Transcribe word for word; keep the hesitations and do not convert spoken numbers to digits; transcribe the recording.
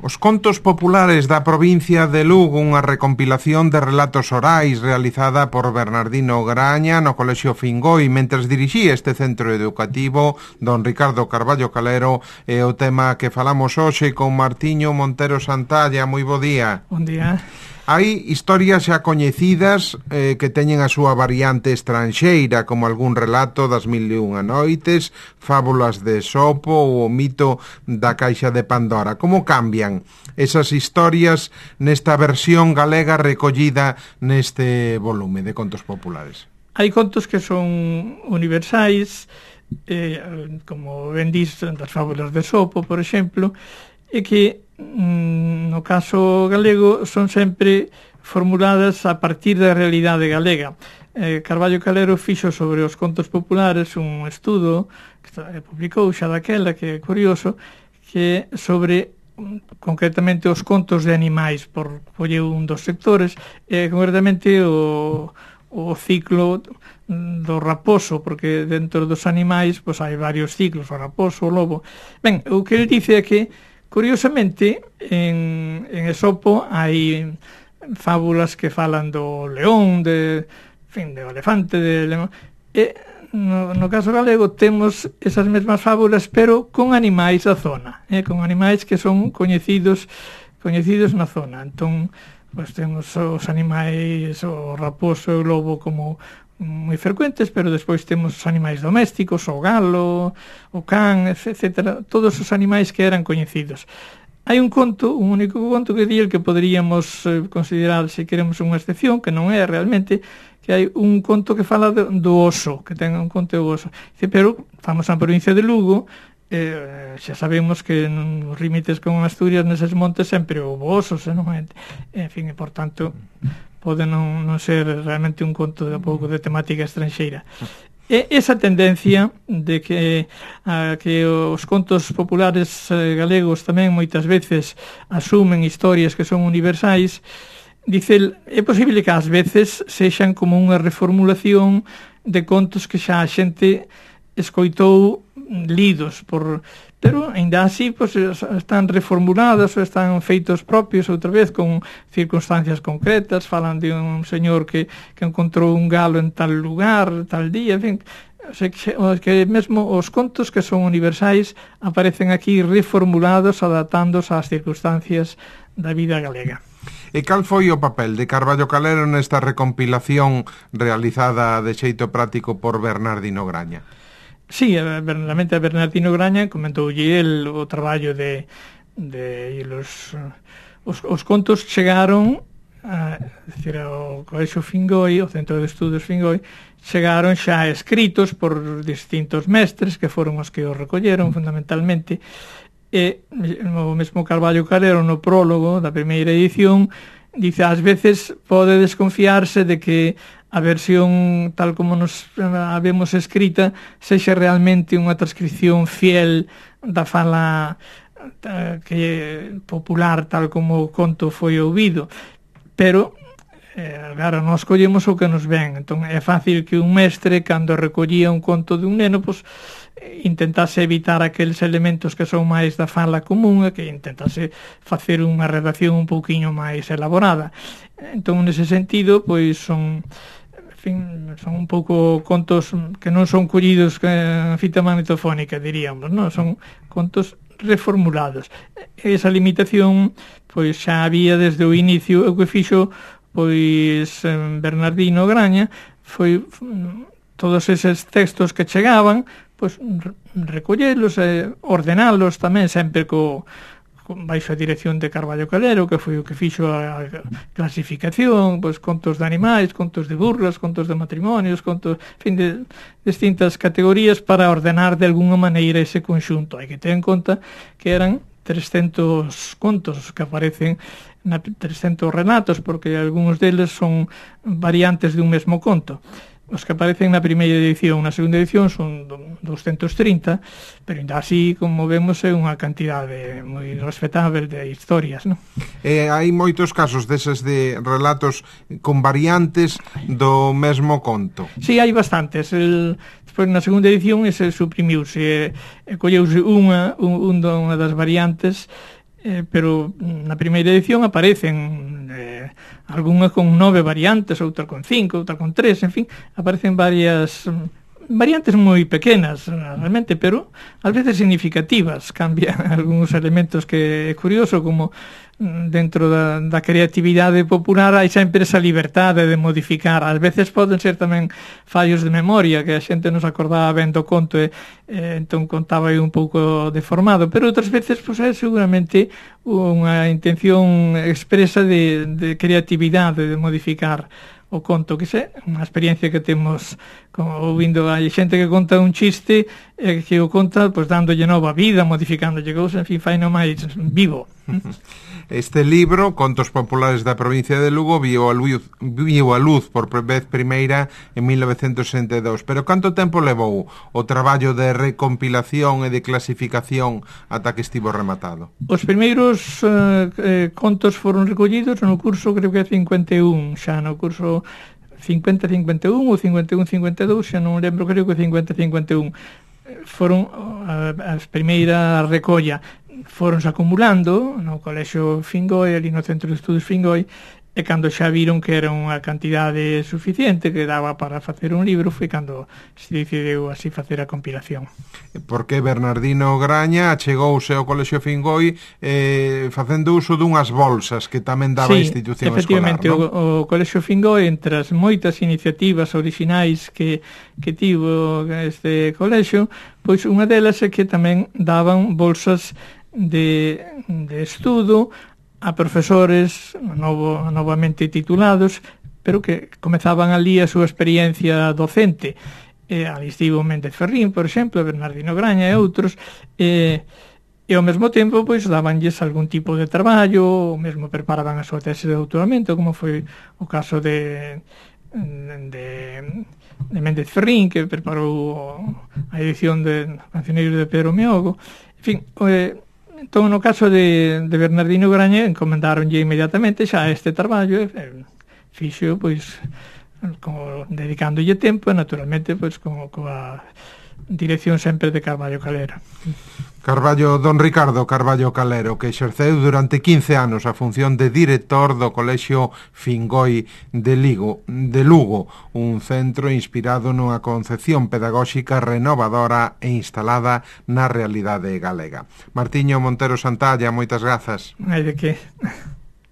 Os contos populares da provincia de Lugo, unha recompilación de relatos orais realizada por Bernardino Graña no Colexio Fingoi, mentres dirixía este centro educativo, don Ricardo Carballo Calero, e o tema que falamos hoxe con Martiño Montero Santalla. Moi bo día. Bon día. Hai historias xa coñecidas eh, que teñen a súa variante estranxeira, como algún relato das mil e unha noites, fábulas de Esopo ou o mito da caixa de Pandora. Como cambian esas historias nesta versión galega recollida neste volume de contos populares? Hai contos que son universais, eh, como ben dis das fábulas de Esopo, por exemplo, e que no caso galego son sempre formuladas a partir da realidade galega. eh, Carballo Calero fixo sobre os contos populares un estudo que publicou xa daquela, que é curioso, que é sobre concretamente os contos de animais, por colleu un dos sectores, e concretamente o, o ciclo do raposo, porque dentro dos animais pois, hai varios ciclos, o raposo, o lobo. Ben, o que ele dice é que curiosamente, en, en Esopo hai fábulas que falan do león, de, en fin, do elefante, de león, e no, no caso galego temos esas mesmas fábulas, pero con animais da zona, eh, con animais que son coñecidos coñecidos na zona. Entón, pues, temos os animais, o raposo e o lobo como moi frecuentes, pero despois temos os animais domésticos, o galo, o can, etcétera, todos os animais que eran coñecidos. Hai un conto, un único conto que di el que poderíamos eh, considerar, se queremos, unha excepción, que non é realmente, que hai un conto que fala do, do oso, que ten un conto do oso. Dice, pero, estamos na provincia de Lugo, eh, xa sabemos que nos límites con Asturias, neses montes, sempre houve osos, e non é, en fin, e por tanto pode non, non ser realmente un conto de pouco de temática estranxeira. E esa tendencia de que a, que os contos populares eh, galegos tamén moitas veces asumen historias que son universais, dice, é posible que ás veces sexan como unha reformulación de contos que xa a xente escoitou lidos por... pero ainda así pues, están reformuladas ou están feitos propios outra vez con circunstancias concretas, falan de un señor que, que encontrou un galo en tal lugar, tal día, en fin, o sea, que, que mesmo os contos que son universais aparecen aquí reformulados, adaptándose ás circunstancias da vida galega. E cal foi o papel de Carballo Calero nesta recompilación realizada de xeito práctico por Bernardino Graña? Sí, realmente a Bernardino Graña comentoulle el o traballo de, de los, os, os contos chegaron a, decir, ao Colexio Fingoi, o Centro de Estudos Fingoi, chegaron xa escritos por distintos mestres que foron os que os recolleron fundamentalmente, e o mesmo Carballo Calero no prólogo da primeira edición dice, ás veces pode desconfiarse de que a versión tal como nos a vemos escrita sexa realmente unha transcripción fiel da fala que popular tal como o conto foi ouvido, pero eh, claro, nós collemos o que nos ven. Entón é fácil que un mestre, cando recollía un conto de un neno, pois intentase evitar aqueles elementos que son máis da fala común e que intentase facer unha redacción un pouquiño máis elaborada. Entón, nese sentido, pois son, en fin, son un pouco contos que non son collidos en fita magnetofónica, diríamos, non? Son contos reformulados. Esa limitación, pois xa había desde o inicio, o que fixo, pois, Bernardino Graña, foi todos eses textos que chegaban, pois recollelos e ordenalos tamén sempre co, co baixo a dirección de Carballo Calero, que foi o que fixo a clasificación, pois contos de animais, contos de burlas, contos de matrimonios, contos, en fin, de distintas categorías para ordenar de alguna maneira ese conxunto. Hai que ter en conta que eran trescentos contos que aparecen na trescentos relatos, porque algúns deles son variantes de un mesmo conto. Os que aparecen na primeira edición, na segunda edición son doscientos trinta, pero ainda así, como vemos, é unha cantidade moi respetable de historias, non? E hai moitos casos deses de relatos con variantes do mesmo conto. Sí, hai bastantes. El, despois, na segunda edición, ese suprimiuse, e colleuse unha, un, unha das variantes, eh, pero na primeira edición aparecen eh, algunha con nove variantes, outra con cinco, outra con tres, en fin, aparecen varias variantes moi pequenas realmente, pero ás veces significativas. Cambian algúns elementos que é curioso, como dentro da, da creatividade popular hai sempre esa liberdade de modificar. Ás veces poden ser tamén fallos de memoria, que a xente nos acordaba ben do conto e, e entón contaba aí un pouco deformado, pero outras veces pois, é seguramente unha intención expresa de, de creatividade, de modificar o conto, que é unha experiencia que temos como ouvindo a xente que conta un chiste e que o conta pois dándolle nova vida, modificándolle cousas, en fin, fai no máis vivo. Este libro, Contos Populares da provincia de Lugo, viu a luz, viu a luz por vez primeira en mil novecentos sesenta e dous. Pero canto tempo levou o traballo de recompilación e de clasificación ata que estivo rematado? Os primeiros eh, eh, contos foron recollidos no curso, creo que é cincuenta e un, xa no curso cincuenta cincuenta e un ou cincuenta e un cincuenta e dous, xa non lembro, creo que cincuenta cincuenta e un. Foron as primeira recolla, foronse acumulando no Colexio Fingoi, ali no Centro de Estudos Fingoi, e cando xa viron que era unha cantidade suficiente que daba para facer un libro, foi cando se decidiu así facer a compilación. Porque Bernardino Graña achegouse ao Colexio Fingoi eh, facendo uso dunhas bolsas que tamén daba sí, a institución efectivamente, escolar, o, non? o Colexio Fingoi, entre as moitas iniciativas orixinais que, que tivo este colexio, pois unha delas é que tamén daban bolsas de, de estudo a profesores novo, novamente titulados, pero que comezaban ali a súa experiencia docente. E ali estivo Méndez Ferrín, por exemplo, Bernardino Graña e outros, e, e ao mesmo tempo pois dabanlles algún tipo de traballo, ou mesmo preparaban a súa tese de doutoramento, como foi o caso de, de, de Méndez Ferrín, que preparou a edición de Cancioneiro de Pedro Meogo. En fin, eh, entón, no caso de, de Bernardino Graña, encomendaronlle inmediatamente xa este traballo, e fixo, pois, como dedicándolle tempo, e naturalmente, pois, como coa dirección sempre de Carballo Calero. Carballo, don Ricardo Carballo Calero, que exerceu durante quince anos a función de director do Colexio Fingoi de, Ligo, de Lugo, un centro inspirado nunha concepción pedagóxica renovadora e instalada na realidade galega. Martiño Montero Santalla, moitas grazas. Hai de que...